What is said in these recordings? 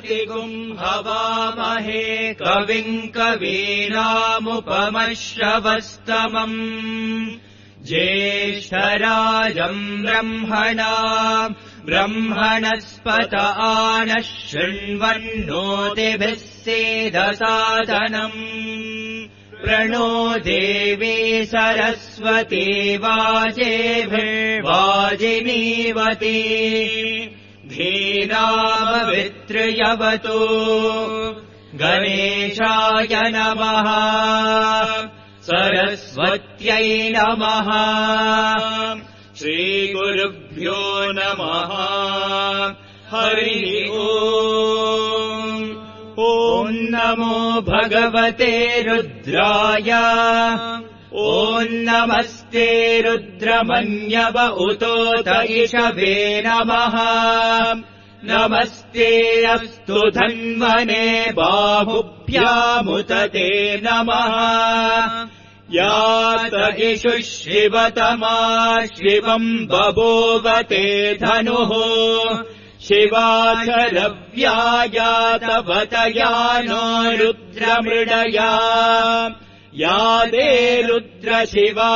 सुमतिगुम् हवामहे कविम् कवीनामुपमश्रवस्तमम् ज्येष्ठराजम् ब्रह्मणस्पत आनः शृण्वन्नोतिभिः सेदसादनम् प्रणो देवी सरस्वती वाजेभिर्वाजिनीवती धीरामवितृयवतु गणेशाय नमः सरस्वत्यै नमः श्रीगुरुभ्यो नमः हरिः ओम् ॐ नमो भगवते रुद्राय ॐ नमस्ते रुद्रमन्यव उतोत इषवे नमः नमस्ते अस्तु धन्वने बाहुभ्यामुत ते नमः यात इषु शिवतमा शिवम् बभूवते धनुः शिवाचरव्यायातवतया नो रुद्रमृडया यादे रुद्रशिवा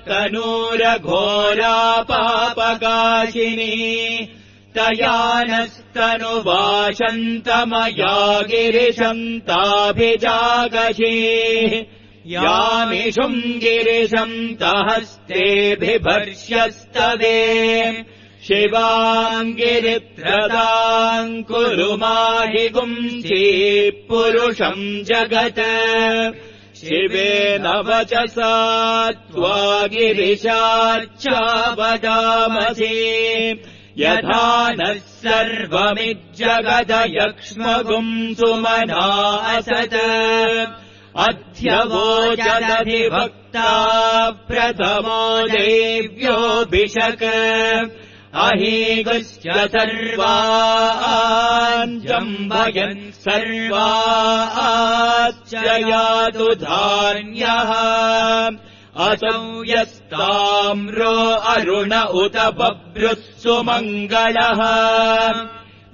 तनूरघोरा पापकाशिनी तया नस्तनुवाशन्तमया गिरिशन्ताभिजागशे यामिषुम् गिरिशन्तहस्तेऽभिभर्ष्यस्तवे शिवाम् गिरित्रदाम् कुरु माहि गुंसि पुरुषम् जगत् शिवेन वचसा त्वा गिरिशाच्चावदामसि यथा नः सर्वमिज्जगदयक्ष्मगुम् सुमना असत् अध्यवोचदधिभक्ता प्रथमो देव्योऽभिषक् अहीगुश्च सर्वाञ्जम्भयन् सर्वाश्च यातु धान्यः असौ यस्ताम्रो अरुण उत बभ्रुः सुमङ्गलः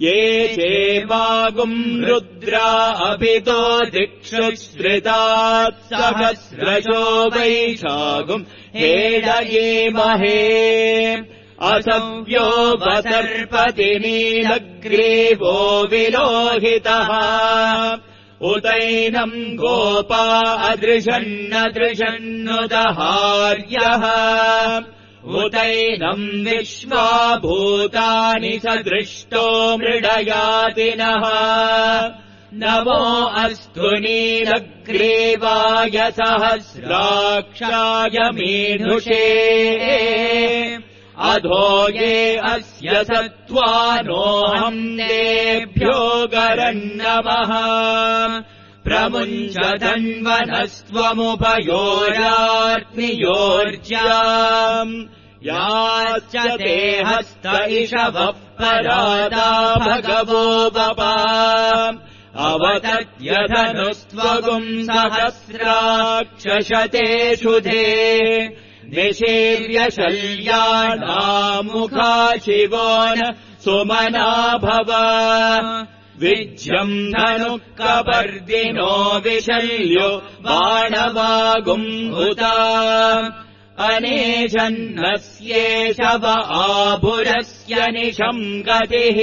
ये चेवागुम् रुद्रा अभितो दिक्षुश्रितात् सहस्रशो वैशागुम् हेडयेमहे असव्यो वसर्पति नीलग्रीवो विलोहितः उतैनम् गोपा अदृशन्नदृशन्नुदहार्यः उतैनम् विश्वाभूतानि सदृष्टो मृडयातिनः नमो अस्तु नीलग्रीवाय सहस्राक्षाय मीढुषे अधो ये अस्य सत्त्वानोऽहम् तेभ्यो गरन्नमः प्रमुञ्च धन्वनस्त्वमुभयोरात्मियोर्ज्याम् याश्च ते हस्त इषवः परादा भगवो वपा अवतत्यधनुस्त्वगुम् सहस्राक्षशतेषु ते निशीर्य शल्यानामुखा शिवो न सुमना भव विज्यम् धनुः कपर्दिनो विशल्यो बाणवागुम् हुता अनेशन्नस्येषव आभुरस्य निशम् गतिः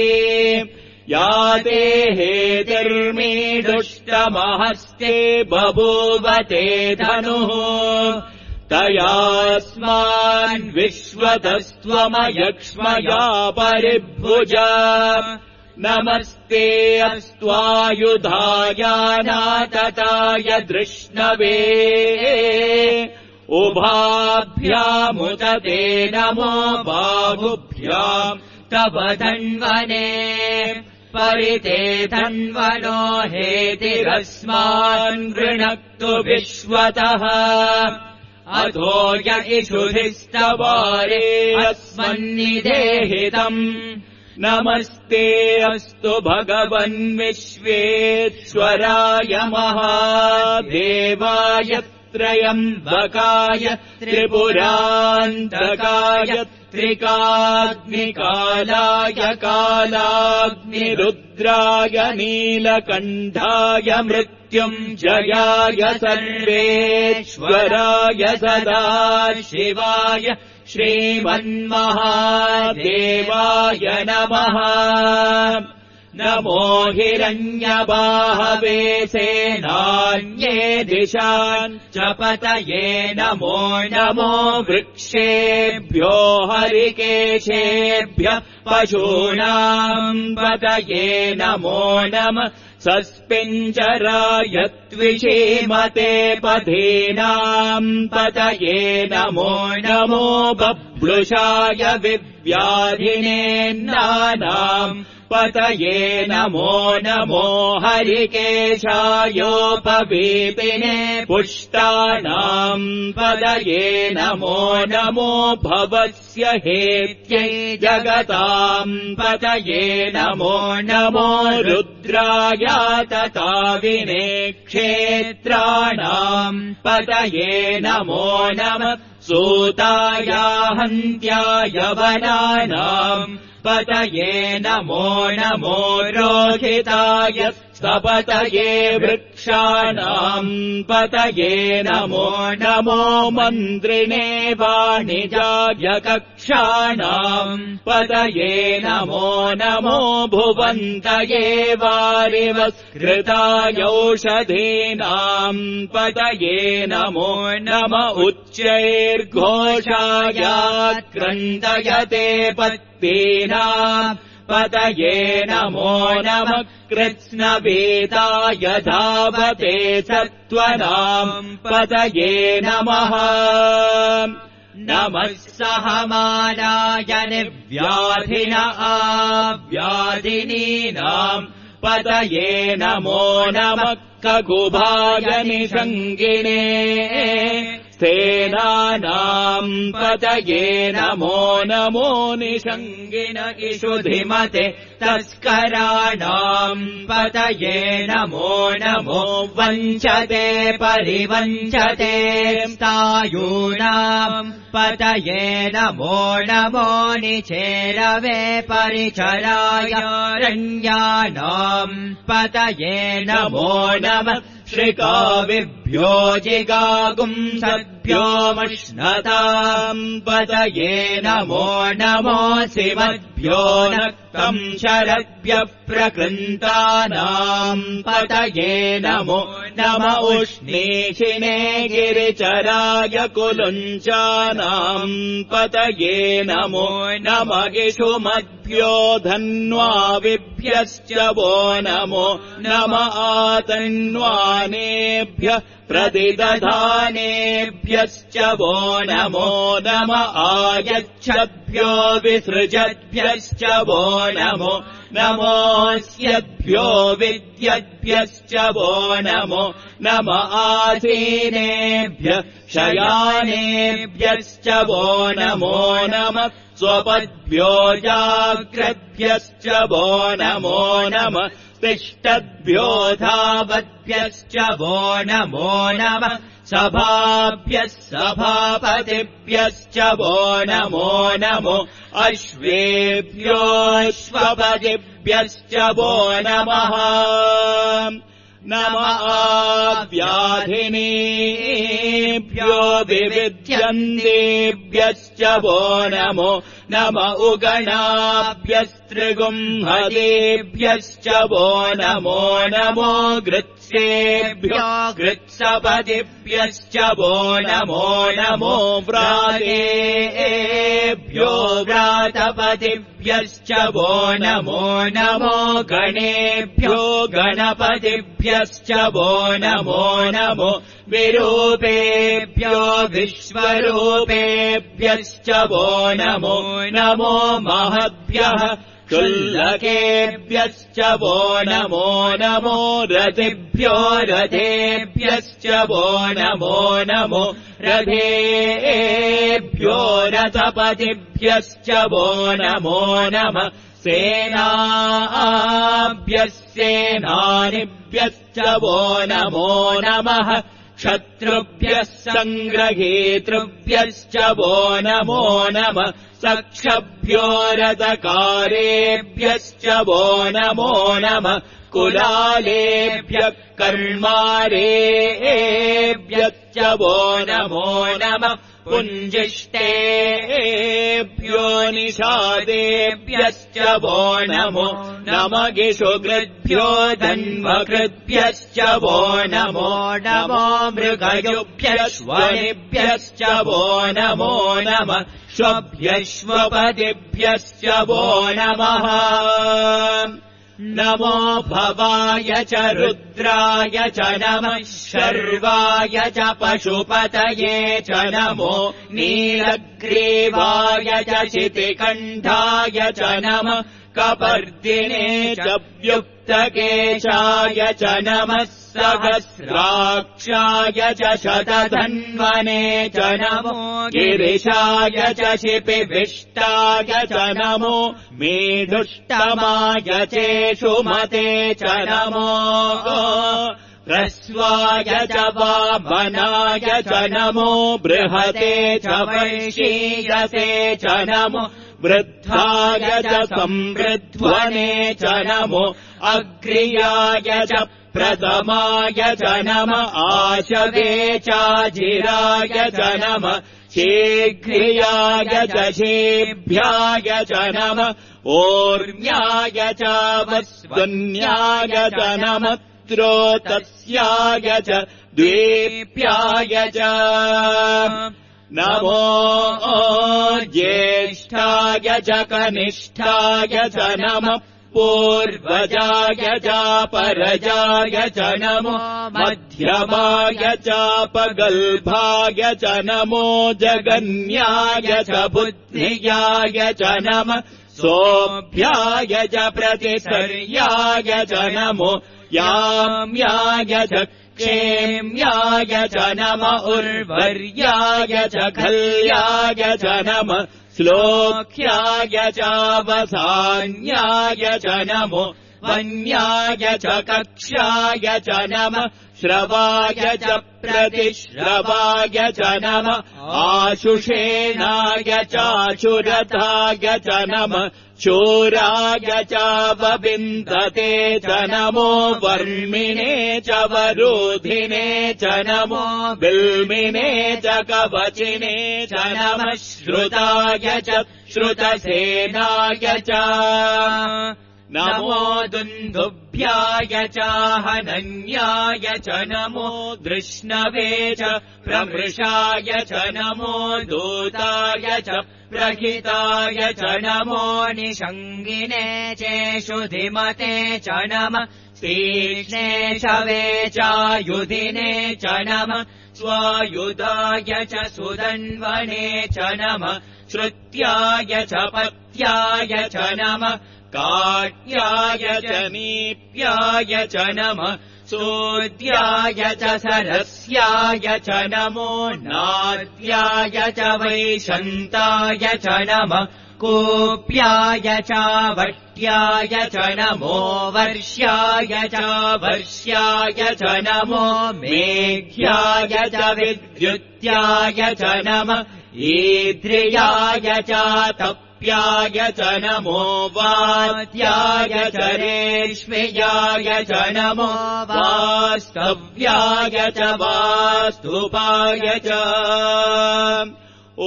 याते हेतिर्मीडुष्टमहस्ते बभूवते धनुः तयास्मान् विश्वतस्त्वमयक्ष्मया परिभुज नमस्ते अस्त्वायुधायानातताय दृष्णवे उभाभ्यामुत ते नमो बाहुभ्याम् तव धन्वने परिते धन्वनो हेतिरस्मान् गृणक्तु विश्वतः अधो य इषुधिस्तवारे अस्मन्निदेहितम् नमस्ते अस्तु भगवन् विश्वेश्वराय महादेवाय त्र्यम्बकाय त्रिपुरान्तकाय त्रिकाग्निकालाय कालाग्निरुद्राय नीलकण्ठाय मृत्युञ्जयाय सर्वेश्वराय सदाशिवाय श्रीमन्महादेवाय नमः। नमो हिरण्यबाहवे सेनान्ये दिशान् च पतये नमो नमो वृक्षेभ्यो हरिकेशेभ्यः पशूनाम् पतये नमो नमः। सस्पिञ्जराय त्विषीमते पथीनाम् पतये नमो नमो बभ्रुषाय विव्याधिनेन्नानाम् पतये नमो नमो हरिकेशायोपवीपिने पुष्टानाम् पतये नमो नमो भवस्य हेत्यै जगताम् पतये नमो नमो रुद्राय तताविने क्षेत्राणाम् पतये नमो नमः। सूताय हन्त्याय वनानाम् पतये नमो नमो रोहिताय सपतये वृक्षाणाम् पतये नमो नमो मन्त्रिणे वाणिजाय कक्षाणाम् पतये नमो नमो भुवन्तये वारिवस्कृताय औषधीनाम् पतये नमो नम उच्चैर्घोषाय क्रन्दयते पत्नीनाम् पतये नमो नमः। कृत्स्नवेदाय धावते सत्त्वनाम् पतये नमः। नमः सहमानाय निर्व्याधिन आव्याधिनीनाम् पतये नमो नमः। ककुभाय निषङ्गिने सेनानाम् पतये नमो नमो निषङ्गिन इषुधिमते तस्कराणाम् पतये नमो नमो वञ्चते परिवञ्चते स्थायूनाम् पतये नमो नमो निचेरवे परिचराय रण्यानाम् पतये नमो नमः। श्रिकाविभ्यो जिगागुंसभ्यो मश्नताम् पतये नमो नमो शिवभ्यो नक्तम् शरद्भ्यः प्रकृन्तानाम् पतये नमो नम उष्णीषिणे गिरिचराय कुलुञ्चानाम् पतये नमो नम इषुमद्भ्यो धन्वाविभ्यश्च वो नमो नम आतन्वानेभ्यः प्रतिदधानेभ्यश्च वो नमो नम आयच्छद्भ्यो विसृजद्भ्यश्च वो नमो नमोऽस्यद्भ्यो विद्यद्भ्यश्च वो नमो नम आसीनेभ्यः शयानेभ्यश्च वो नमो नमः। स्वपद्भ्यो जाग्रद्भ्यश्च वो नमो नमः। तिष्ठद्भ्यो धावद्भ्यश्च वो नमो नमः। सभाभ्यः सभापतिभ्यश्च वो नमो नमो। अश्वेभ्योऽश्वपतिभ्यश्च वो नमः। नम आव्याधिनीभ्यो विविध्यन्तेभ्यश्च वो नमो नम उगणाभ्यस्त्रिगुंहदेभ्यश्च वो नमो नमो। गृत्सेभ्यो गृत्सपतिभ्यश्च वो नमो नमो। व्रातेभ्यो व्रातपतिभ्यश्च वो नमो नमो। गणेभ्यो गणपतिभ्यश्च वो नमो नमो। विरूपेभ्यो विश्वरूपेभ्यश्च वो नमो नमो। महद्भ्यः क्षुल्लकेभ्यश्च वो नमो नमो। रथिभ्यो रथेभ्यश्च वो नमो नमो। रथेभ्यो रथपतिभ्यश्च वो नमो नमः। सेनाभ्यः सेनानिभ्यश्च वो नमो नमः। शत्रुभ्यः सङ्ग्रहेतृभ्यश्च वो नमो नमः सक्षभ्यो रथकारेभ्यश्च वो नमो नमः कुलालेभ्यः कर्मारेभ्यश्च वो नमो नमः पुञ्जिष्टेभ्यो निषादेभ्यश्च वो नमो नमगिषुकृद्भ्यो धन्वकृद्भ्यश्च वो नमो नमो मृगयुभ्यश्वनिभ्यश्च वो नमो नमः श्वभ्यश्वपदिभ्यश्च वो नमः नमो भवाय च रुद्राय च नमः शर्वाय च पशुपतये च नमो नीलग्रीवाय च शितिकण्ठाय च नमः कपर्दिने च व्युक्तकेशाय च नमः सहस्राक्षाय च शतधन्वने च नमो गिरिशाय च शिपिविष्टाय च नमो मेढुष्टमाय चेषुमते च नमो ह्रस्वाय च वामनाय च नमो बृहते च वैशीयसे च नमो वृद्धाय च संवृध्वने च नमो अग्र्याय च प्रथमाय च नमः आशवे चाजिराय च नमः शीघ्रियाय च शेभ्याय च नमः ओर्म्याय च वस्वन्याय च नमः त्रोतस्याय च द्वीप्याय च नमो ज्येष्ठाय च कनिष्ठाय च नमः पूर्वजाय चापरजाय च नमो मध्यमाय चापगल्भाय च नमो जगन्याय च बुद्धियाय च नमः सोऽभ्याय च प्रतिसर्याय च नमो याम्याय च क्षेम्याय च नमः उर्वर्याय च खल्याय च नमः श्लोक्याय चावसान्याय च नमो वन्याय च कक्ष्याय च नमः श्रवाय च प्रतिश्रवाय च नमः आशुषेणाय चाशुरथाय च नमः शूराय चावविन्दते च नमो वर्मिणे च वरोधिने च नमो बिल्मिने च कवचिने च नमः श्रुताय च श्रुतसेनाय च नमो दुन्दुभ्याय चाहनन्याय च नमो दृष्णवे च प्रमृषाय च नमो दूताय च प्रहिताय च नमो निषङ्गिने चेषुधिमते च नमः तीक्ष्णे शवे चायुधिने च नमः स्वायुधाय च सुदन्वने च नमः श्रुत्याय च पत्याय च नमः काट्याय च नीप्याय च नमः सूद्याय च सरस्याय च नमो नाद्याय च वैशन्ताय च नमः कूप्याय च वट्याय च नमो वर्ष्याय च वर्ष्याय च नमो मेघ्याय च विद्युत्याय च नमः ईद्रियाय च तप्याय च नमो वात्याय च रेष्म्याय च नमो वास्तव्याय च वास्तुपाय च ॐ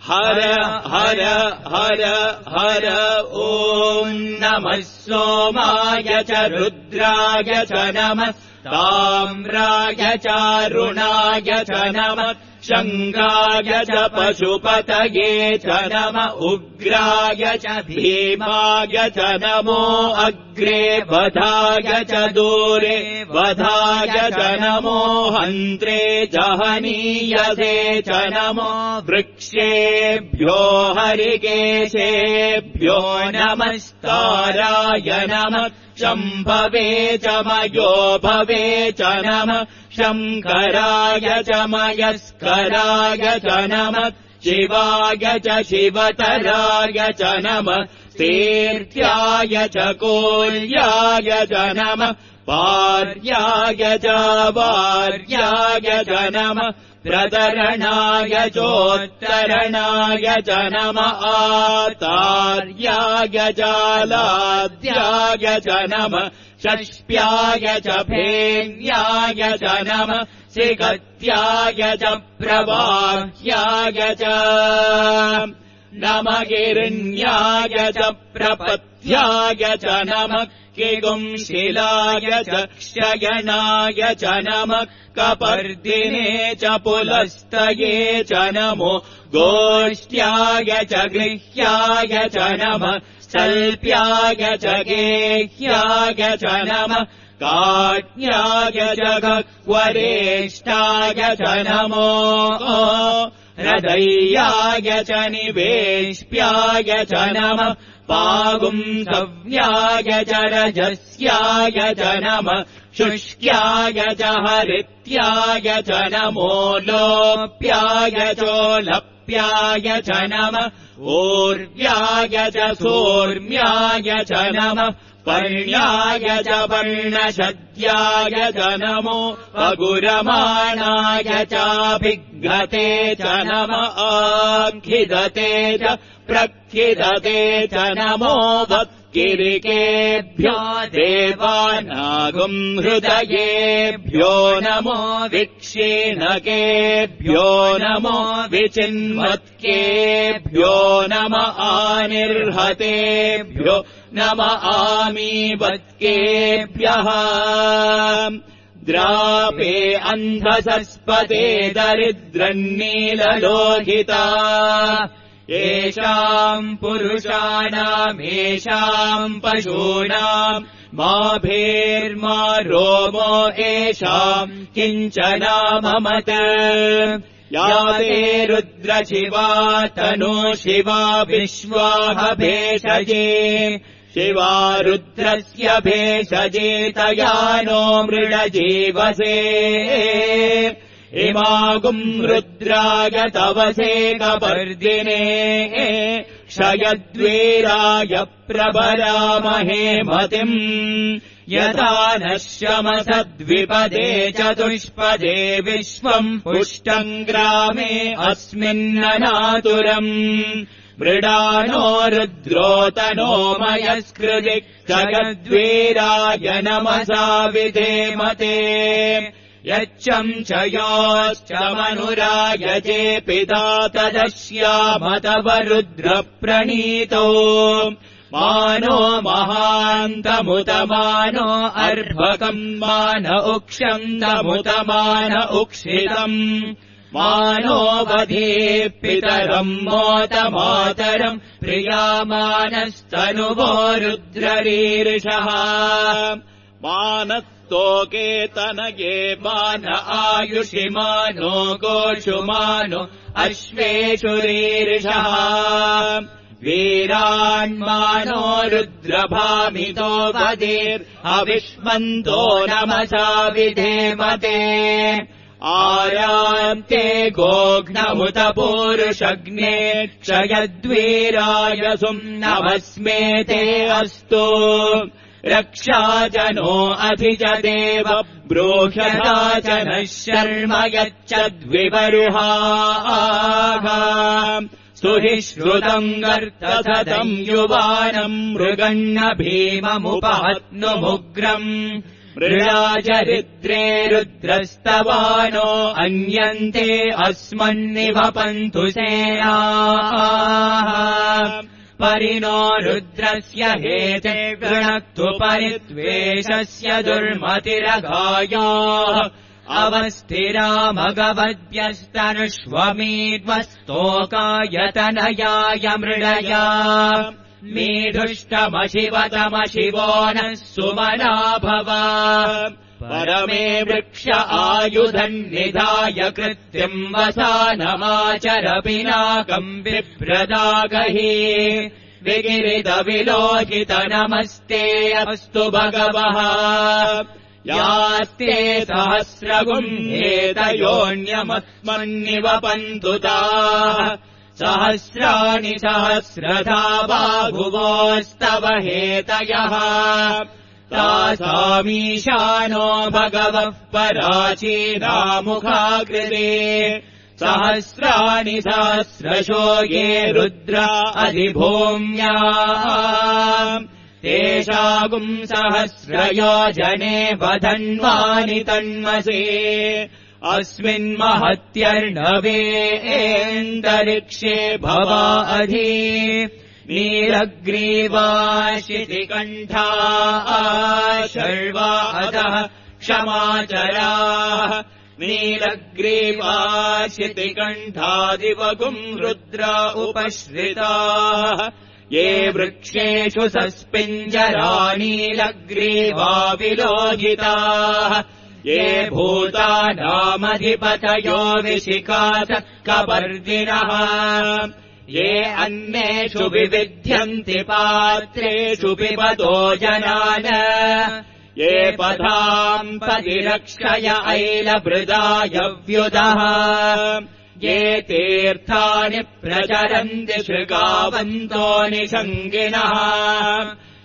हर हर हर हर ॐ नमः सोमाय च रुद्राय च नमः ताम्राय चारुणाय च नमः शङ्गाय च पशुपतये च नमः उग्राय च भीमाय च नमो अग्रे वधाय च दूरे वधाय च नमो हन्त्रे जहनीयसे च नमो वृक्षेभ्यो हरिकेशेभ्यो नमस्ताराय नमः शम्भवे च मयो भवे च नमः शङ्कराय च मयस्कराय च नमः शिवाय च शिवतराय च नमः स्तेर्त्याय च कोल्याय च नमः पार्याय च वार्याय च नमः प्रतरणाय चोत्तरणाय च नमः आतार्याय च लाद्याय च नमः षष्प्याय च फेन्याय च नमः सिगत्याय च प्रवाह्याय च नमः हिरण्याय च प्रपथ्याय च नमः किगुंशिलाय च क्षयणाय च नमः कपर्दिने च पुलस्तये च नमो गोष्ट्याय च गृह्याय च नमः सल्प्याय च गेह्याय च नमः काट्याय च गह्वरेष्ठाय च नमो हृदयाय च निवेश्प्याय च नमः पागुंसव्याय च रजस्याय च नमः शुष्क्याय च हरित्याय च नमो लोप्याय चोलप्याय च नमः ऊर्व्याय च सोर्म्याय च नमः पर्ण्याय च पर्णशद्याय च नमो अगुरमाणाय चाभिघ्नते च नमः आखिदते च प्रखिदते च नमो वक्किरिकेभ्यो देवानागुम् हृदयेभ्यो नमो विक्षीणकेभ्यो नमो विचिन्वत्केभ्यो नमः आनिर्हतेभ्यो नमः आमीवत्केभ्यः द्रापे अन्धसस्पते दरिद्रन्नीललोहिता येषाम् पुरुषाणामेषाम् पशूनाम् मा भेर्मा रोमो येषाम् किञ्चनाममत या ते रुद्रशिवा तनो शिवा विश्वाह भेषजे शिवा रुद्रस्य भेषजे तया नो मृडजीवसे इमागुम् रुद्राय तवसे कपर्दिने क्षयद्वीराय प्रभरामहे मतिम् यथा नश्यमसद्विपदे चतुष्पदे विश्वम् पुष्टम् ग्रामे अस्मिन्ननातुरम् मृडानो रुद्रोतनो मयस्कृति क्षयद्वीराय नमसा विधेमते यच्चम् च योश्च मनुरायजे पिता तदस्यामतव रुद्रप्रणीतो मानो महान्तमुतमानो अर्भकम् मान उक्षन्तमुतमान उक्षितम् मानो वधे पितरम् मोतमातरम् प्रियामानस्तनुवो रुद्ररीर्षः मानस्तोके तनये मान आयुषि मानो गोषु मानो अश्वेषु रीर्षः वीरान्मानो रुद्रभामितो वदेर्हविष्मन्तो नमसा विधेमते आयान्ते गोघ्नमुत पूरुषग्ने क्षयद्वीराय सुम्नमस्मेते अस्तु रक्षाजनो अधिजदेव ब्रूह्यराजनः शर्म यच्चद्विवरुहाः सुहिश्रुतम् गर्तसदम् युवानम् मृगण्ण भीममुपहत्नुमुग्रम् मृडाचरिद्रे रुद्रस्तवानो अन्यन्ते अस्मन्निवपन्तु सेनाः परिणो रुद्रस्य हेते गृणक्तु परित्वेषस्य दुर्मतिरगायाः अवस्थिरा मगवद्भ्यस्तनुष्वमीड्वस्तोकायतनयाय मृडया मीढुष्टमशिवतमशिवो नः सुमना भव परमे वृक्ष आयुधन्निधाय कृत्रिम् वसानमाचर पिनाकम् बिभ्रदागहि विगिरितविलोहित नमस्ते अस्तु भगवः यास्ते सहस्रगुम् हेतयोऽन्यमस्मन्निवपन्तु ताः सहस्राणि सहस्रधा बाहुवोस्तव हेतयः तासामीशानो भगवः पराचीनामुखाकृते सहस्राणि सहस्रशो ये रुद्रा अधिभूम्या तेषागुम् सहस्रयोजने वधन्वानि तन्मसे अस्मिन्महत्यर्णवेन्दरिक्षे भवा अधि नीलग्रीवा शितिकण्ठा शर्वा अधः क्षमाचराः नीलग्रीवा शितिकण्ठादिवगुम् रुद्रा उपश्रिताः ये वृक्षेषु सस्पिञ्जरा नीलग्रीवा विलोहिताः ये भूतानामधिपतयो विशिखात कपर्दिनः ये अन्नेषु विविध्यन्ति पात्रेषु पिबतो जनान ये पथाम् पतिरक्षय ऐलभृदायव्युदः ये तीर्थानि प्रचरन्ति शृगावन्तो निषङ्गिनः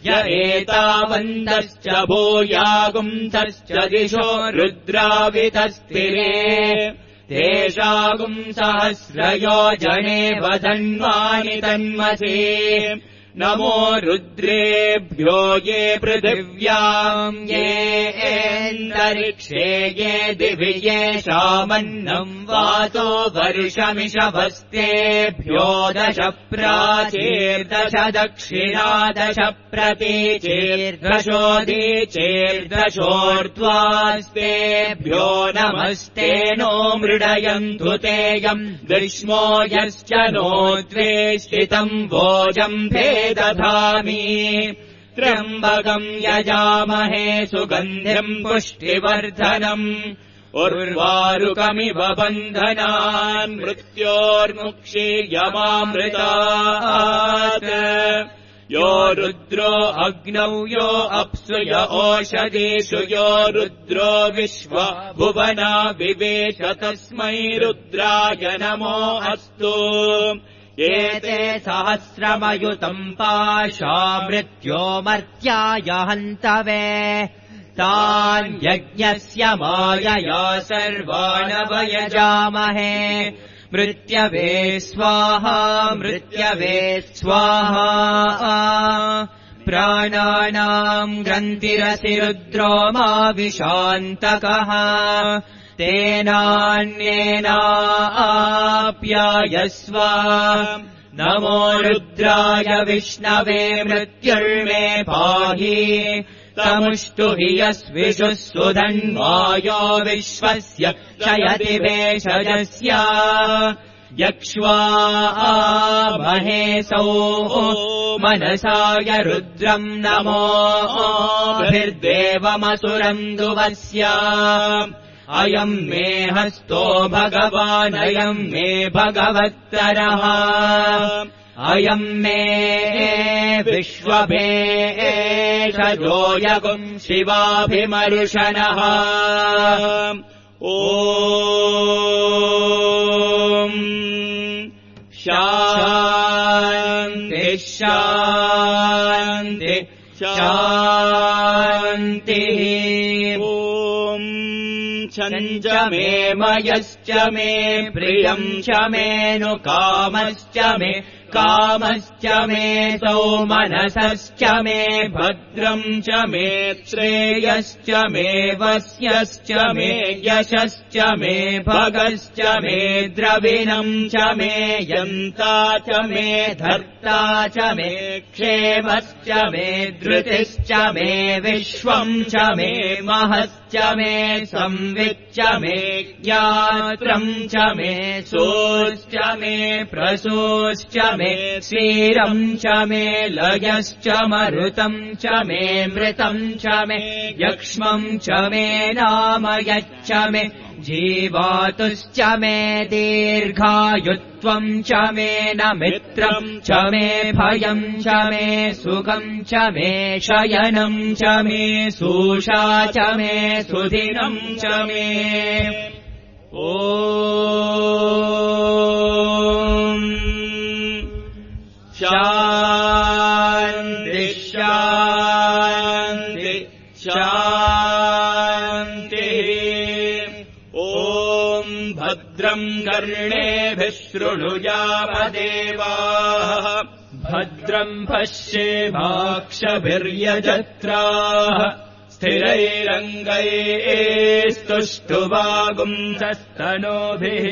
य एतावन्तश्च भूयागुंसश्च दिशो रुद्रावितस्थिरे तेषागुम् सहस्रयोजने वधन्वानि तन्मसे नमो रुद्रेभ्यो ये पृथिव्याम् ये एन्दरिक्षे ये दिवि येषामन्नम् वातो वर्षमिषभस्तेभ्यो 10 प्राचीर्दश दक्षिणादश प्रतीचीर्दशोदीचीर्दशोर्ध्वास्तेभ्यो नमस्ते नो मृडयन्तु तेयम् ग्रीष्मो यश्च नो द्वेष्टितम् वोजम्भे दधामि त्र्यम्बकम् यजामहे सुगन्धिम् पुष्टिवर्धनम् उर्वारुकमिव बन्धनान् मृत्योर्मुक्षीयमामृतात् यो रुद्रो अग्नौ यो अप्सु य ओषधीषु यो रुद्रो विश्वा भुवना विवेश तस्मै रुद्राय नमो अस्तु एते सहस्रमयुतम् पाशा मृत्यो मर्त्याय हन्तवे तान् यज्ञस्य मायया सर्वानवयजामहे मृत्यवे स्वाहा मृत्यवे स्वाहा प्राणानाम् ग्रन्थिरसि रुद्रो मा विशान्तकः तेनान्येनाप्यायस्व नमो रुद्राय विष्णवे मृत्युर्मे पाहि तमुष्टु हि यस्विषुः सुधन्वायो विश्वस्य क्षयति भेषजस्य यक्ष्वा महेशौ मनसाय रुद्रम् नमोभिर्देवमसुरन्दुवस्य अयम् मे हस्तो भगवानयम् मे भगवत्तरः अयम् मे विश्वभेषजोऽयगुम् शिवाभिमर्शनः ॐ शान्ति शान्ति शान्तिः ॐ छञ्च मे मयश्च मे प्रियम् च मेनु कामश्च मे कामश्च मे सौमनसश्च मे भद्रम् च मे श्रेयश्च मे वस्यश्च मे यशश्च मे भगश्च मे द्रविणम् च मे यन्ता च मे धर्ता च मे क्षेमश्च मे धृतिश्च मे विश्वम् च मे महश्च मे संविच्च मे ज्ञात्रम् च मे सोश्च मे प्रसोश्च मे क्षीरम् च मे लयश्च मरुतम् च मे मृतम् च मे यक्ष्मम् च मे नाम यच्च मे जीवातुश्च मे दीर्घायुत्वम् च मे न मित्रम् च मे भयम् च मे सुखम् च मे शयनम् च मे सूषा च मे सुदिनम् च मे ॐ शान्तिः शान्तिः शान्तिः। ॐ भद्रम् कर्णेभिः शृणुयामदेवाः भद्रम् पश्येमाक्षभिर्यजत्राः स्थिरैरङ्गैस्तुष्टुवागुंसस्तनोभिः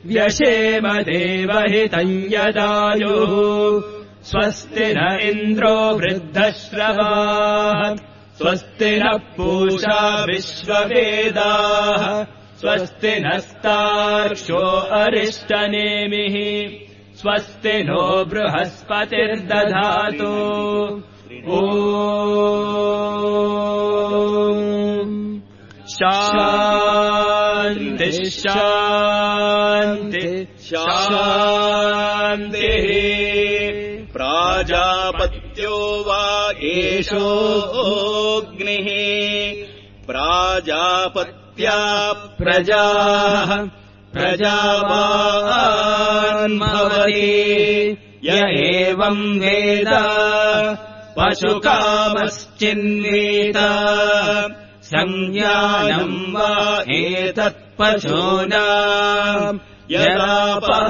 व्यशेम देवहितम् यदायुः स्वस्ति न इन्द्रो वृद्धश्रवाः स्वस्ति नः पूषा विश्ववेदाः स्वस्ति नस्तार्क्ष्यो अरिष्टनेमिः स्वस्ति नो बृहस्पतिर्दधातु ॐ शान्तिः शान्तिः शान्तिः। प्राजापत्यो वा एषोऽग्निः प्राजापत्या प्रजाः प्रजावान् भवति य एवम् वेद पशुकामश्चिन्वेत संज्ञानम् वा एतत्पशूनाम् यदापः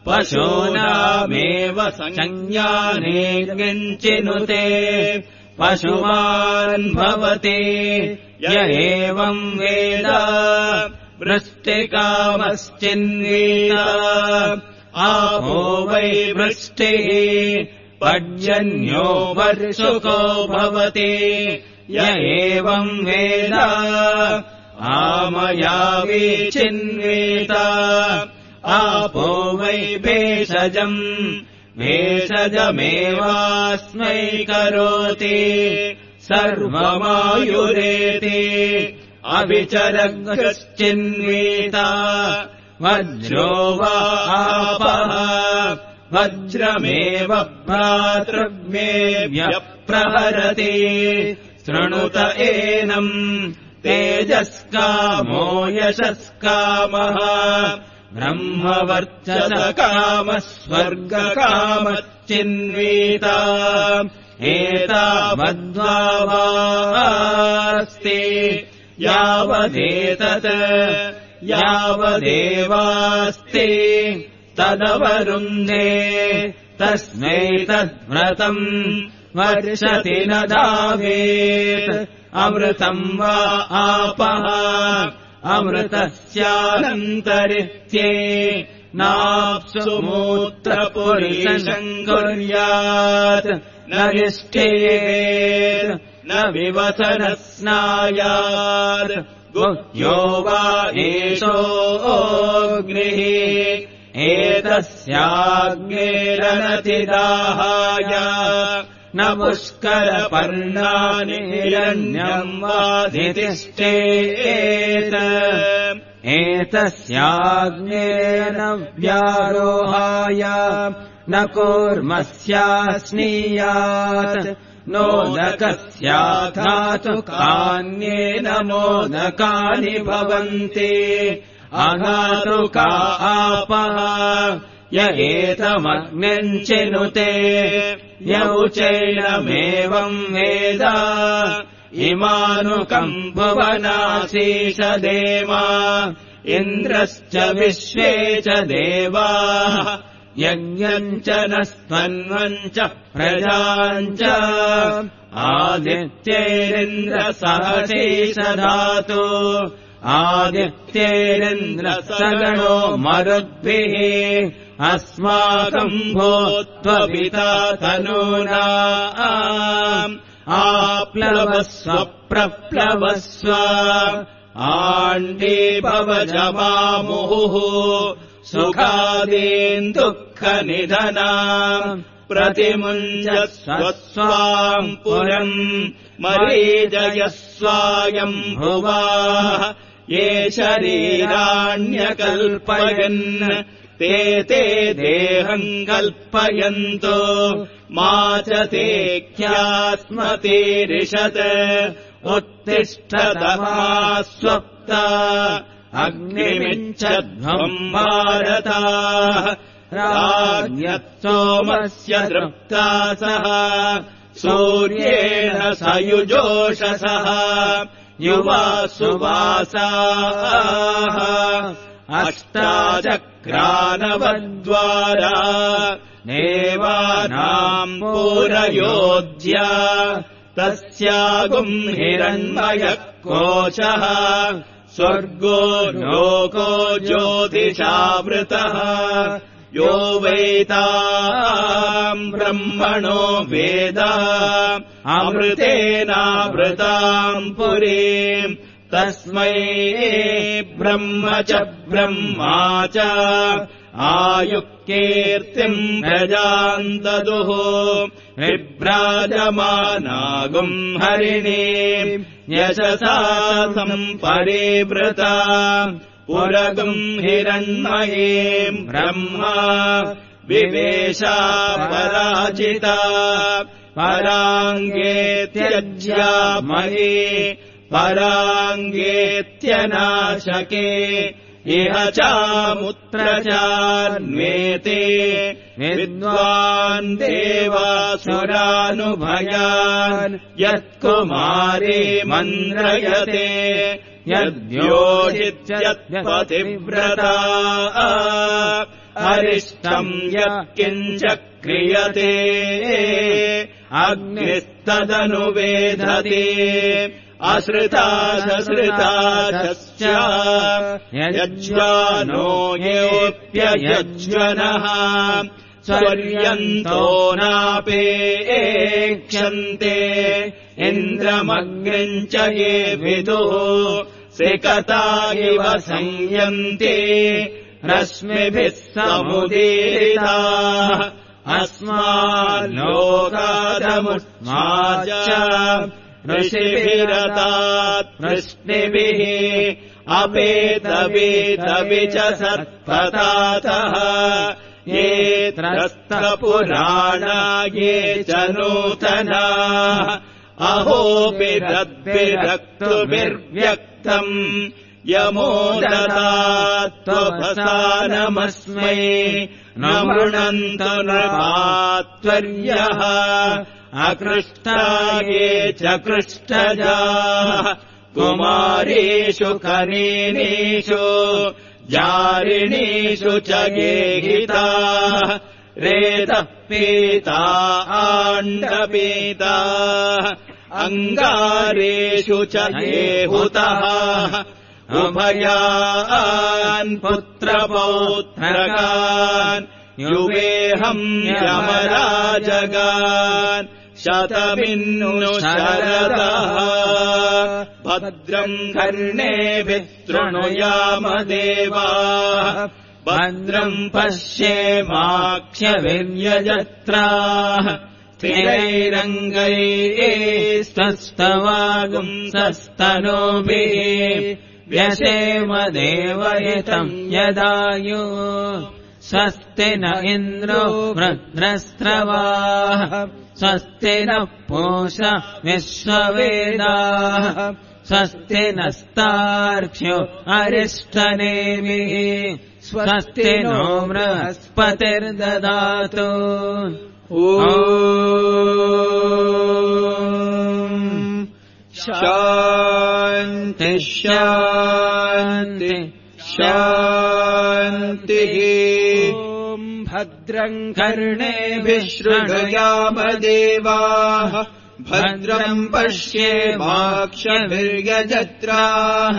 पशूनामेव संज्ञाने किञ्चिनुते पशुमान् भवति य एवम् वेद वृष्टिकामश्चिन्वेत आपो वै वृष्टिः पर्जन्यो वर्षुको भवति य एवम् वेद आमयावी चिन्वेत आपो वै भेषजम् भेषजमेवास्मै करोति सर्वमायुरेति अभिचरगश्चिन्वेत वज्रो वा आपः वज्रमेव भ्रातृव्यप्रहरति शृणुत एनम् तेजस्कामो यशस्कामः ब्रह्मवर्चसकामः स्वर्गकामश्चिन्वेत एतावद्वास्ति यावदेतत् यावदेवास्ति तदवरुन्धे तस्मै तद्व्रतम् वर्षति न धावेत् अमृतम् वा आपः अमृतस्यानन्तरित्ये नाप्सु मूत्रपुरीशम् कुर्यात् न निष्ठेत् न विवसनः स्नायात् गुह्यो वा एषोऽग्निः एतस्याग्नेरनतिदाहाय न पुष्करपर्णानि हिरण्यम् वाधितिष्ठेत् एतस्याग्नेन व्यारोहाय न कूर्मस्यास्नीयात् नोदकस्याघातुकान्येन मोदकानि भवन्ति अघातुका आपः य एतमग्निम् चिनुते यौचैनमेवम् वेद इमानुकम् भुवनासीष देवा इन्द्रश्च विश्वे च देवाः यज्ञम् च नस्त्वन्वम् च प्रजाम् च आदित्यैरिन्द्रसहसीष धातु आदित्यैरिन्द्रसगणो मरुद्भिः अस्माकम् भूत्वपिता तनूना आप्लवस्व प्रप्लवस्व आण्डीभवजमामुहुः सुखादीन् दुःखनिधनाम् प्रतिमुञ्जस्व स्वाम् पुरम् मरीजयस्वायम् भुवाः ये शरीराण्यकल्पयन् ते देहम् कल्पयन्तो मा च ते ख्यास्मतीरिषत् उत्तिष्ठतमा स्वप्ता अग्निमिच्छध्वम् भारताः राज्ञत्सोमस्य दृप्तासः सूर्येण सयुजोषसः युवा सुवासाः अष्टाचक्रानवद्वारा देवानाम् पूरयोज्या तस्यागुम् हिरण्मयः कोशः स्वर्गो लोको ज्योतिषावृतः यो वैताम् ब्रह्मणो वेद अमृतेनावृताम् पुरीम् तस्मै ब्रह्म च ब्रह्मा च आयुक्कीर्तिम् प्रजाम् ददुः विभ्राजमानागुम् हरिणीम् यशसा सम्परिवृता पुरगुम् हिरण्मयीम् ब्रह्मा विवेशा पराजिता पराङ्गेत्यज्या मयि पराङ्गेत्यनाशके इह चामुत्र चान्वेते विद्वान् देवासुरानुभयान् यत्कुमारी मन्त्रयते यद्योजित्यत्पतिव्रता अरिष्टम् यत्किञ्च क्रियते अग्निस्तदनुवेधते अश्रिताशश्रिताश्च यज्वानो येऽप्ययज्वनः स्वर्यन्तो नापेक्षन्ते इन्द्रमग्निम् च ये विदुः सिकता इव संयन्ते रश्मिभिः समुदीरिताः अस्माल्लोकादमुष्माच ऋषिभिरतात् वृष्णिभिः अपेतवेतवि च सत्पतातः ये त्रस्तपुराणा ये च नूतनाः अहोभिरद्भिरक्तुभिर्व्यक्तम् यमो ददात्वभसानमस्मै न मृणन्तु नृपात्वर्यः अकृष्टा ये च कृष्टजाः कुमारीषु कनीनीषु जारिणीषु च गेहिताः रेतः पीता आण्डपीताः अङ्गारेषु च गेहुतः उभयान् पुत्रपौत्रकान् युवेहम् यमराजगान् शतमिन्नु शरदः भद्रम् कर्णेभिः शृणुयामदेवाः भद्रम् पश्येमाक्षभिर्यजत्राः स्थिरैरङ्गैस्तस्तवागुंसस्तनूभिः व्यशेम देवहितम् यदायु स्वस्ति न इन्द्रो वृत्रस्रवाः स्वस्ति नः पूषा विश्ववेदाः स्वस्ति नस्तार्क्ष्यो अरिष्टनेमिः स्वस्ति नो बृहस्पतिर्ददातु शान्ति शान्ति शान्तिः भद्रम् कर्णेभिः शृणुयामदेवाः भद्रम् पश्येमाक्षभिर्यजत्राः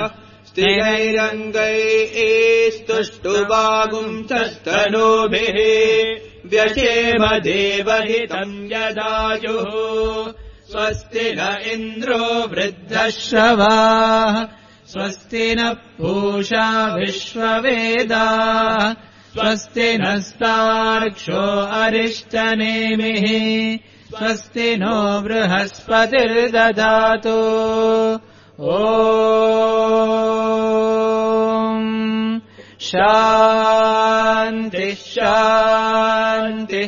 स्थिरैरङ्गैस्तुष्टुवागुंसस्तनूभिः व्यशेम देवहितम् यदायुः स्वस्ति न इन्द्रो वृद्धश्रवाः स्वस्ति नः पूषा विश्ववेदाः स्वस्ति नस्तार्क्ष्यो अरिष्टनेमिः स्वस्ति नो बृहस्पतिर्ददातु शान्ति शान्ति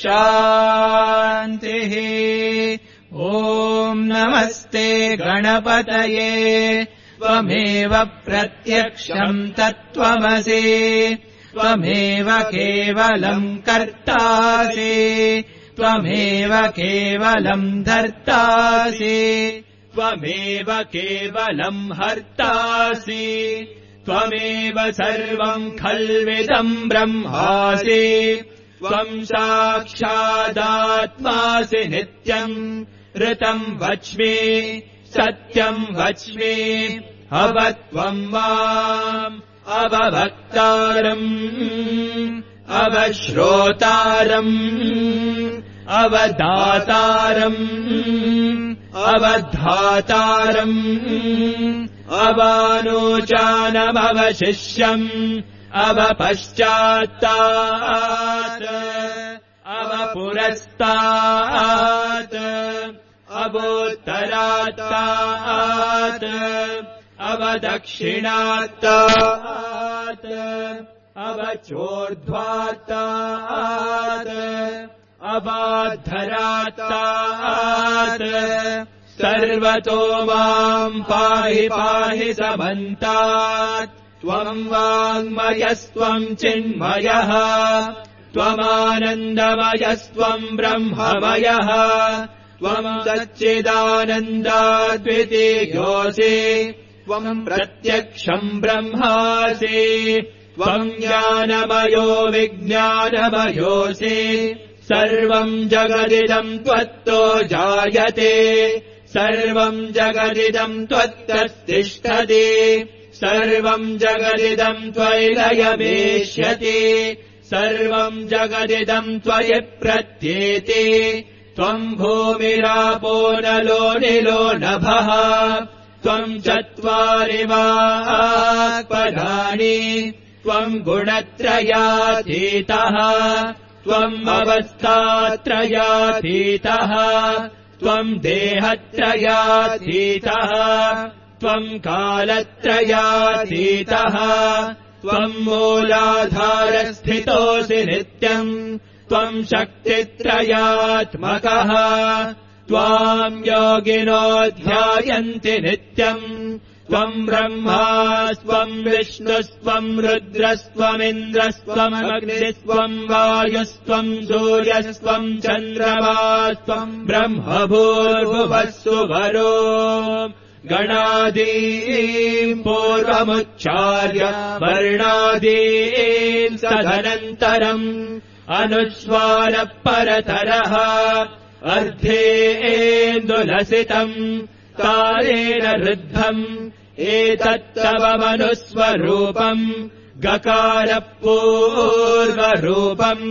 शान्तिः नमस्ते गणपतये त्वमेव प्रत्यक्षम् तत्त्वमसि त्वमेव केवलम् कर्तासि त्वमेव केवलम् धर्तासि त्वमेव केवलम् हर्तासि त्वमेव सर्वम् खल्विदम् ब्रह्मासि त्वम् साक्षादात्मासि नित्यम् ऋतम् वच्मि सत्यम् वच्मि अवत्वम् माम् अववक्तारम् अवश्रोतारम् अवदातारम् अवधातारम् अवानोचानमवशिष्यम् अवपश्चात्तात् अवपुरस्तात् अवोत्तरात्तात् अवदक्षिणात्तात् अवचोर्ध्वात्तात् अवाद्धरात्तात् सर्वतो माम् पाहि पाहि समन्तात् त्वम् वाङ्मयस्त्वम् चिन्मयः त्वमानन्दमयस्त्वम् ब्रह्ममयः त्वम् सच्चिदानन्दाद्वितीयोऽसि त्वम् प्रत्यक्षम् ब्रह्मासि त्वम् ज्ञानमयो विज्ञानमयोऽसि सर्वम् जगदिदम् त्वत्तो जायते सर्वम् जगदिदम् त्वत्तस्तिष्ठति सर्वम् जगदिदम् त्वयि लयमेष्यति सर्वम् जगदिदम् त्वयि प्रत्येति त्वम् भूमिरापो नलो निलो नभः त्वम् चत्वारि वाक्पदानि त्वम् गुणत्रयातीतः त्वम् अवस्थात्रयातीतः त्वम् देहत्रयातीतः त्वम् कालत्रयातीतः त्वम् मूलाधारस्थितोऽसि नित्यम् त्वम् शक्तित्रयात्मकः त्वाम् योगिनो ध्यायन्ति नित्यम् त्वम् ब्रह्मा स्वम् विष्णुस्त्वम् रुद्रस्त्वमिन्द्रस्त्वमग्निस्त्वम् वायुस्त्वम् सूर्यस्त्वम् चन्द्रमास्त्वम् ब्रह्मभूर्भुवस्सु वरो गणादीम् पूर्वमुच्चार्य वर्णादीम् तदनन्तरम् अनुस्वारः परतरः अर्धेन्दुलसितम् कालेन रुद्धम् एतत्तव मनुस्वरूपम् गकारः पूर्वरूपम्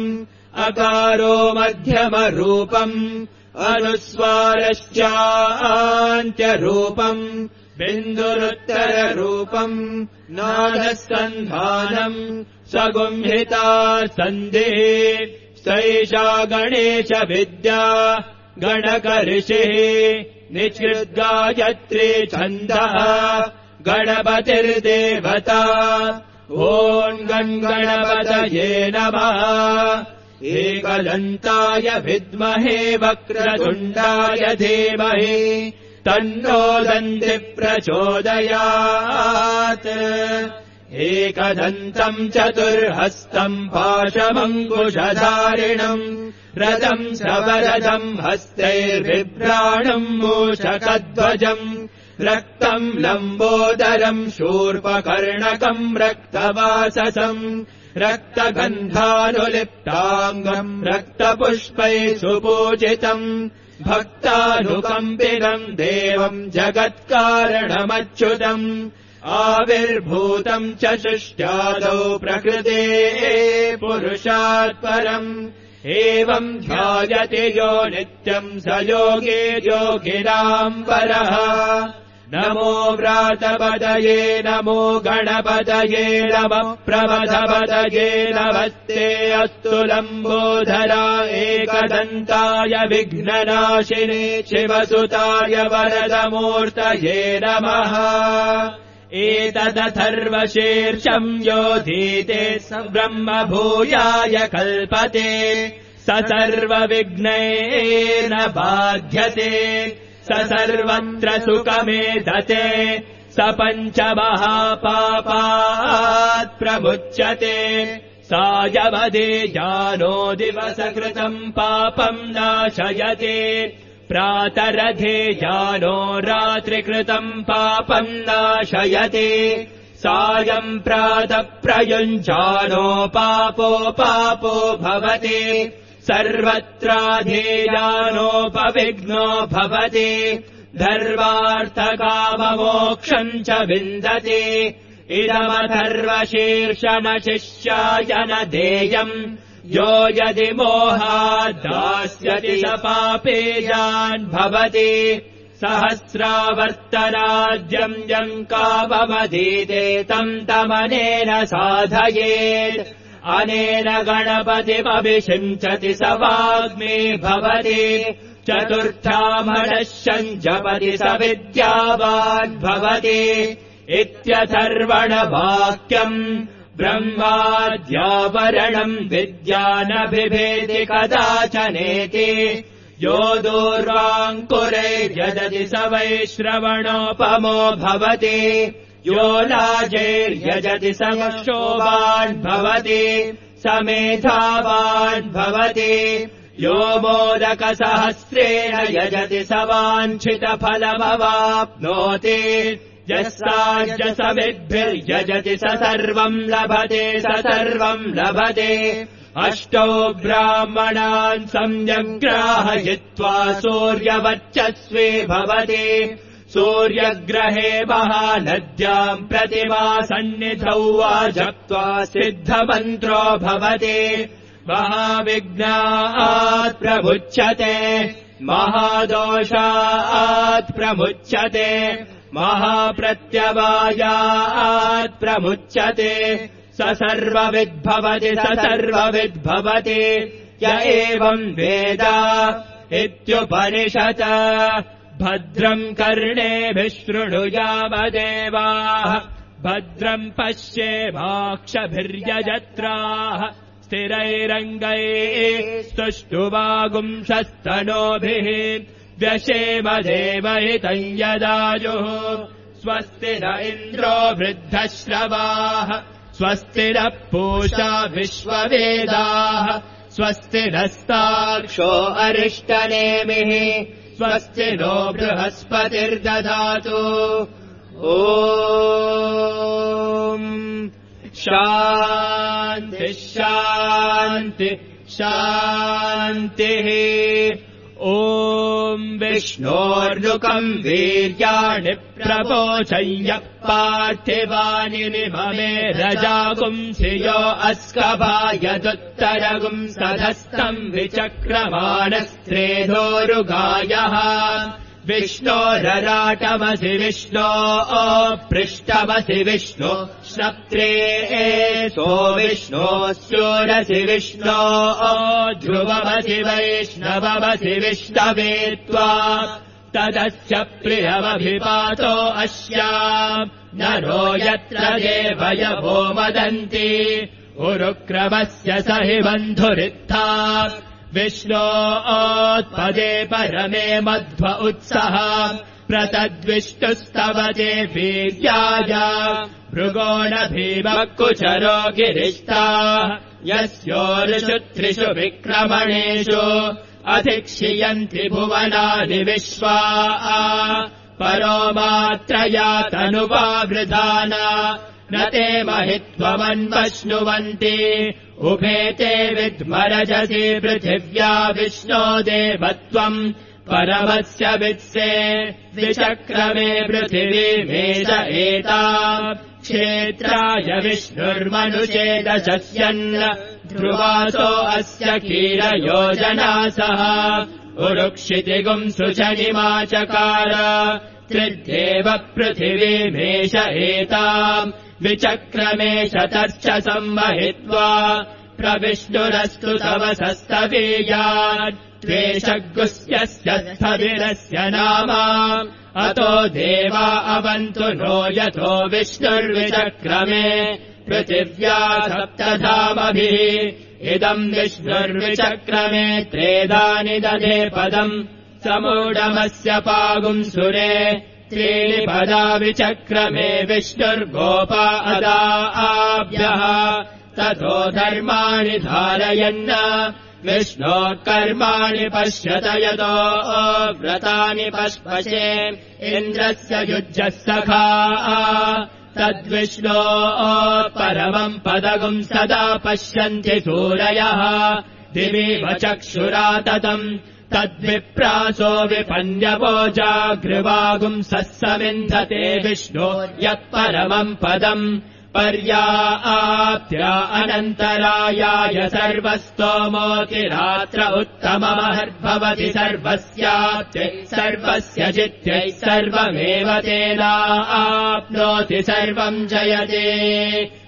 अकारो मध्यमरूपम् अनुस्वारश्चान्त्यरूपम् बिन्दुरुत्तररूपम् नादसन्धानम् सगुंहिता सन्धिः सैषा गणेश विद्या गणकऋषिः निचिद्गायत्री छन्दः गणपतिर्देवता ॐ गणपतये नमः एकदन्ताय विद्महे वक्रतुण्डाय धीमहि तन्नो दन्ति प्रचोदयात् एकदन्तम् चतुर्हस्तम् पाशमङ्कुशधारिणम् रथम् सवरथम् हस्तैर्बिभ्राणम् मूषकध्वजम् रक्तम् लम्बोदरम् शूर्पकर्णकम् रक्तवाससम् रक्तगन्धानुलिप्ताङ्गम् रक्तपुष्पैः सुपूजितम् भक्तानुकम्पितम् देवम् जगत्कारणमच्युतम् आविर्भूतम् च सृष्ट्यादौ प्रकृतेः पुरुषात् परम् एवम् ध्यायति यो नित्यम् स योगी योगिनाम् परः नमो व्रातपदये नमो गणपतये नमः प्रमथपदये नमस्ते अस्तु लम्बोधरा एकदन्ताय विघ्ननाशिने शिवसुताय वरदमूर्तये नमः एतदथर्वशीर्षम् योधीते स ब्रह्मभूयाय कल्पते स सर्वविघ्नैर्न बाध्यते स सर्वत्र सुखमेधते स पञ्चमहापापात् प्रमुच्यते सायवदे जानो दिवसकृतम् पापम् नाशयते प्रातरधे जानो रात्रिकृतम् पापम् नाशयते सायम् प्रातः प्रयुञ्जानो पापो भवति सर्वत्राधेयानोपविघ्नो भवति धर्मार्थकाममोक्षम् च विन्दति इदमथर्वशीर्षमशिष्याय न देयम् यो यदि मोहात् दास्यति स पापेयान् भवति सहस्रावर्तनाद्यम् यम् काममधीते तम् तमनेन साधयेत् अनेन गणपतिमभिषिञ्चति स वाग्मी भवति चतुर्थामनश्यम् जपति स विद्यावान् भवति इत्यथर्वणवाक्यम् ब्रह्माद्यावरणम् विद्या न बिभेति कदाचनेति यो दूर्वाङ्कुरैर्यजति स वैश्रवणोपमो भवति यो लाजैर्यजति स क्षोभान् भवति स मेधावान् भवति यो मोदकसहस्रेण यजति स वाञ्छितफलमवाप्नोति यस्साज्यसमिद्भिर्यजति स सर्वम् लभते अष्टौ ब्राह्मणान् सम्यग्राहयित्वा सूर्यवर्चस्वी भवति सूर्यग्रहे महानद्याम् प्रतिमासन्निधौ वा जप्त्वा सिद्धमन्त्रो भवति महाविघ्नात् प्रमुच्यते महादोषात् प्रमुच्यते महाप्रत्यवायात् प्रमुच्यते स सर्वविद्भवति य एवम् वेद इत्युपनिषत् भद्रम् कर्णेभिः शृणुयामदेवाः भद्रम् पश्येमाक्षभिर्यजत्राः स्थिरैरङ्गैः स्तुष्टुवागुंशस्तनोभिः व्यशेमदेवहितम् यदायुः स्वस्ति न इन्द्रो वृद्धश्रवाः स्वस्ति नः पूषा विश्ववेदाः स्वस्ति नस्तार्क्ष्यो अरिष्टनेमिः स्वस्ति नो बृहस्पतिर्दधातु ॐ शान्तिः ॐ विष्णोर्नुकम् वीर्याणि प्रपोचय्य पार्थिवानि निममे रजागुंसि यो अस्कभायदुत्तरगुम् सधस्तम् विचक्रमाणस्त्रेधोरुगायः विष्णोरराटमसि विष्णो पृष्ठमसि विष्णो श्नप्त्रे सो विष्णो स्योरसि विष्णो ध्रुवमसि वैष्णवमसि विष्णवे त्वा तदस्य प्रियमभिपातो अस्याम् नरो यत्र देवयवो वदन्ति उरुक्रमस्य स हि बन्धुरित्था विष्णोत्पदे परमे मध्व उत्सः प्रतद्विष्णुस्तवते वीर्याय भृगोणभीमः कुचरो गिरिष्टाः यस्योरुषु त्रिषु विक्रमणेषु अधिक्षियन्ति भुवनानि विश्वा परो मात्रया तनुवावृधाना न ते महित्वमन्वश्नुवन्ति उभे ते विद्मरजसि पृथिव्या विष्णो देवत्वम् परमस्य वित्से विचक्रमे पृथिवीमेष एता क्षेत्राय विष्णुर्मनुषेदशस्यन् ध्रुवासो अस्य कीरयोजनासः उरुक्षितिगुम् सुचनिमाचकार त्रिद्येव पृथिवीमेष एताम् विचक्रमे शतर्च संवहित्वा प्रविष्णुरस्तु तवसस्तवीयान् त्वेषगुस्यस्य स्थविरस्य नाम अतो देवा अवन्तु नो यथो विष्णुर्विचक्रमे पृथिव्या सप्तधामभिः इदम् विष्णुर्विचक्रमे त्रेधानि दधे पदम् समूढमस्य पागुंसुरे त्रीणि पदा विचक्रमे विष्णुर्गोपा अदाभ्यः ततो धर्माणि धारयन् विष्णोः कर्माणि पश्यत यतो व्रतानि पश्पशे इन्द्रस्य युज्यः सखा तद्विष्णोः परमम् पदगुम् सदा पश्यन्ति सूरयः दिवीव चक्षुरा ततम् तद्विप्रासो विपन्यवो जागृवागुंसः समिन्धते विष्णो यत् परमम् पदम् पर्याप्त्या अनन्तरायाय सर्वस्तोमोतिरात्र उत्तममहर्भवति सर्वस्याप्त्यै सर्वस्य जित्यै सर्वमेव तेनाप्नोति सर्वम् जयते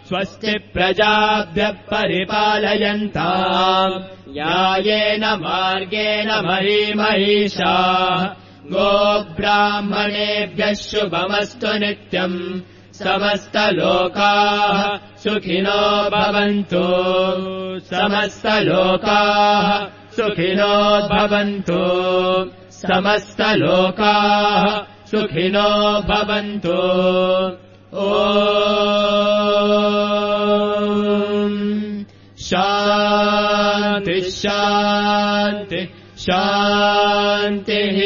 स्वस्ति प्रजाभ्यः परिपालयन्ताम् न्यायेन मार्गेण महीमहीषाः गोब्राह्मणेभ्यः शुभमस्तु नित्यम् समस्तलोकाः सुखिनो भवन्तु समस्तलोकाः सुखिनो भवन्तु समस्तलोकाः सुखिनो भवन्तु ॐ शान्ति शान्ति शान्तिः।